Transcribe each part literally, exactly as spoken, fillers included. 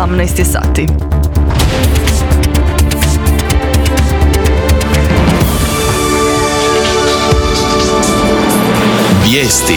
osamnaest je sati. Vijesti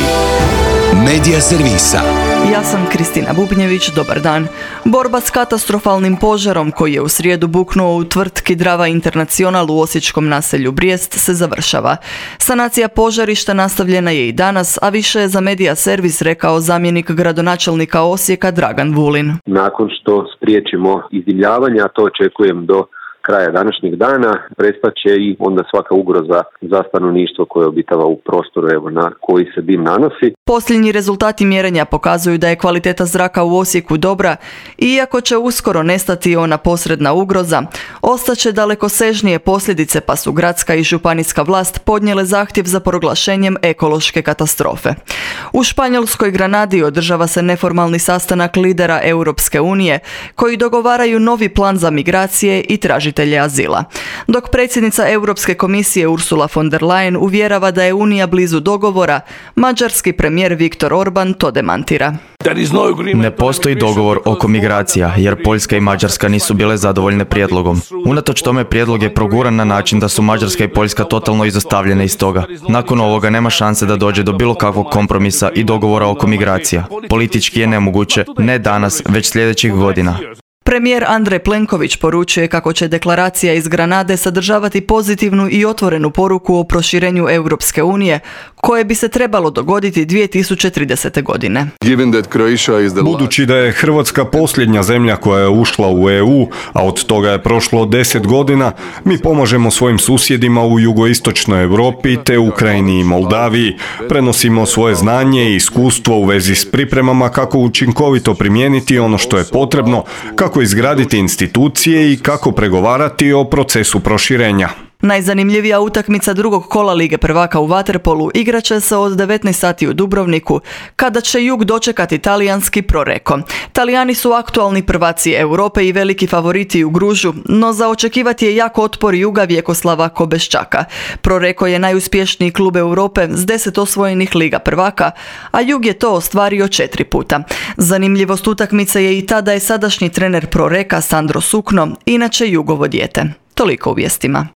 Medija servisa. Ja sam Kristina Bubnjević, dobar dan. Borba s katastrofalnim požarom koji je u srijedu buknuo u tvrtki Drava International u osječkom naselju Brijest se završava. Sanacija požarišta nastavljena je i danas, a više je za Medija servis rekao zamjenik gradonačelnika Osijeka Dragan Vulin. Nakon što spriječimo izdimljavanje, a to očekujem do kraja današnjeg dana, prestat će i onda svaka ugroza za stanovništvo koje obitava u prostoru evo, na koji se dim nanosi. Posljednji rezultati mjerenja pokazuju da je kvaliteta zraka u Osijeku dobra, iako će uskoro nestati ona posredna ugroza, ostaće dalekosežnije posljedice, pa su gradska i županijska vlast podnijele zahtjev za proglašenjem ekološke katastrofe. U španjolskoj Granadi održava se neformalni sastanak lidera Europske unije koji dogovaraju novi plan za migracije i tražitelje azila. Dok predsjednica Europske komisije Ursula von der Leyen uvjerava da je Unija blizu dogovora, mađarski premijer Viktor Orban to demantira. Ne postoji dogovor oko migracija, jer Poljska i Mađarska nisu bile zadovoljne prijedlogom. Unatoč tome prijedlog je proguran na način da su Mađarska i Poljska totalno izostavljene iz toga. Nakon ovoga nema šanse da dođe do bilo kakvog kompromisa i dogovora oko migracija. Politički je nemoguće, ne danas, već sljedećih godina. Premijer Andrej Plenković poručuje kako će deklaracija iz Granade sadržavati pozitivnu i otvorenu poruku o proširenju Europske unije, koje bi se trebalo dogoditi dvije tisuće tridesete. godine. Budući da je Hrvatska posljednja zemlja koja je ušla u E U, a od toga je prošlo deset godina, mi pomažemo svojim susjedima u jugoistočnoj Europi te Ukrajini i Moldaviji, prenosimo svoje znanje i iskustvo u vezi s pripremama kako učinkovito primijeniti ono što je potrebno, kako izgraditi institucije i kako pregovarati o procesu proširenja. Najzanimljivija utakmica drugog kola Lige prvaka u vaterpolu igraće se od devetnaest sati u Dubrovniku, kada će Jug dočekati talijanski Proreko. Talijani su aktualni prvaci Europe i veliki favoriti u Gružu, no za očekivati je jak otpor Juga Vjekoslava Kobeščaka. Proreko je najuspješniji klub Europe s deset osvojenih Liga prvaka, a Jug je to ostvario četiri puta. Zanimljivost utakmice je i ta da je sadašnji trener Proreka Sandro Sukno, inače Jugovo dijete. Toliko u vijestima.